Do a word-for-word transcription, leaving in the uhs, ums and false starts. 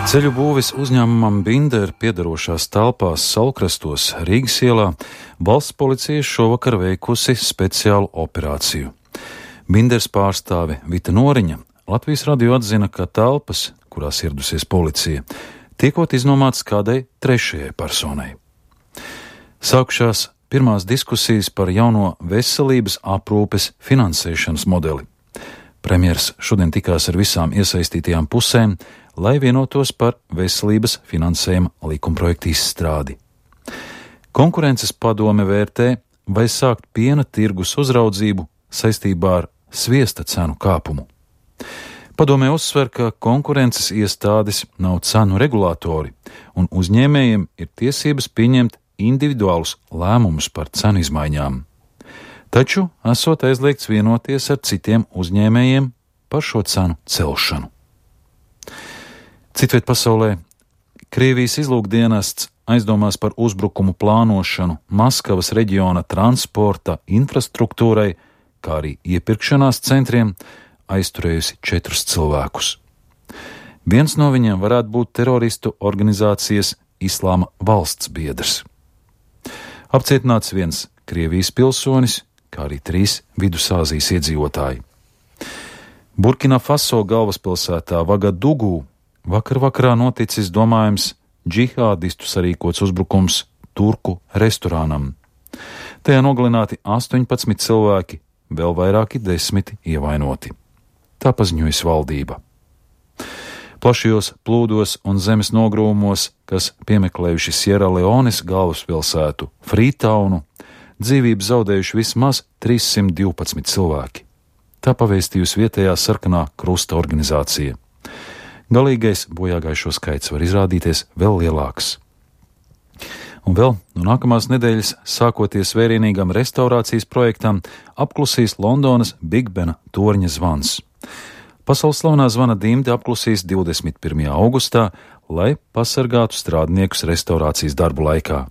Ceļu būves uzņēmumam Binder piedarošās telpās Saulkrastos Rīgas ielā valsts policija šovakar veikusi speciālu operāciju. Binders pārstāve Vita Noriņa Latvijas radio atzina, ka telpas, kurās ieradusies policija, tiekot iznomāts kādai trešajai personai. Sākušās pirmās diskusijas par jauno veselības aprūpes finansēšanas modeli. Premjers šodien tikās ar visām iesaistītajām pusēm, lai vienotos par veselības finansējuma likumprojektu izstrādi. Konkurences padome vērtē, vai sākt piena tirgus uzraudzību saistībā ar sviesta cenu kāpumu. Padomē uzsver, ka konkurences iestādes nav cenu regulātori, un uzņēmējiem ir tiesības pieņemt individuālus lēmumus par cenu izmaiņām. Taču esot aizliegts vienoties ar citiem uzņēmējiem par šo cenu celšanu. Citviet pasaulē Krievijas izlūkdienests aizdomās par uzbrukumu plānošanu Maskavas reģiona transporta infrastruktūrai, kā arī iepirkšanās centriem, aizturējusi četrus cilvēkus. Viens no viņiem varētu būt teroristu organizācijas Islāma valsts biedrs. Apcietināts viens Krievijas pilsonis, kā arī trīs Vidusāzijas iedzīvotāji. Burkina Faso galvaspilsētā Vagadugū vakar vakarā noticis domājams džihādistu sarīkots uzbrukums turku restorānam. Tajā nogalināti astoņpadsmit cilvēki, vēl vairāki desmiti ievainoti. Tā paziņojas valdība. Plašajos plūdos un zemes nogrūmos, kas piemeklējuši Sierra Leones galvaspilsētu Freetaunu, dzīvību zaudējuši vismaz trīssimt divpadsmit cilvēki. Tā pavēstījusi vietējā sarkanā krusta organizācija. Galīgais bojāgājušo skaits var izrādīties vēl lielāks. Un vēl no nākamās nedēļas, sākoties vērienīgam restaurācijas projektam, apklusīs Londonas Big Bena torņa zvans. Pasaules slavenā zvana dimde apklusīs divdesmit pirmajā augustā, lai pasargātu strādniekus restaurācijas darbu laikā.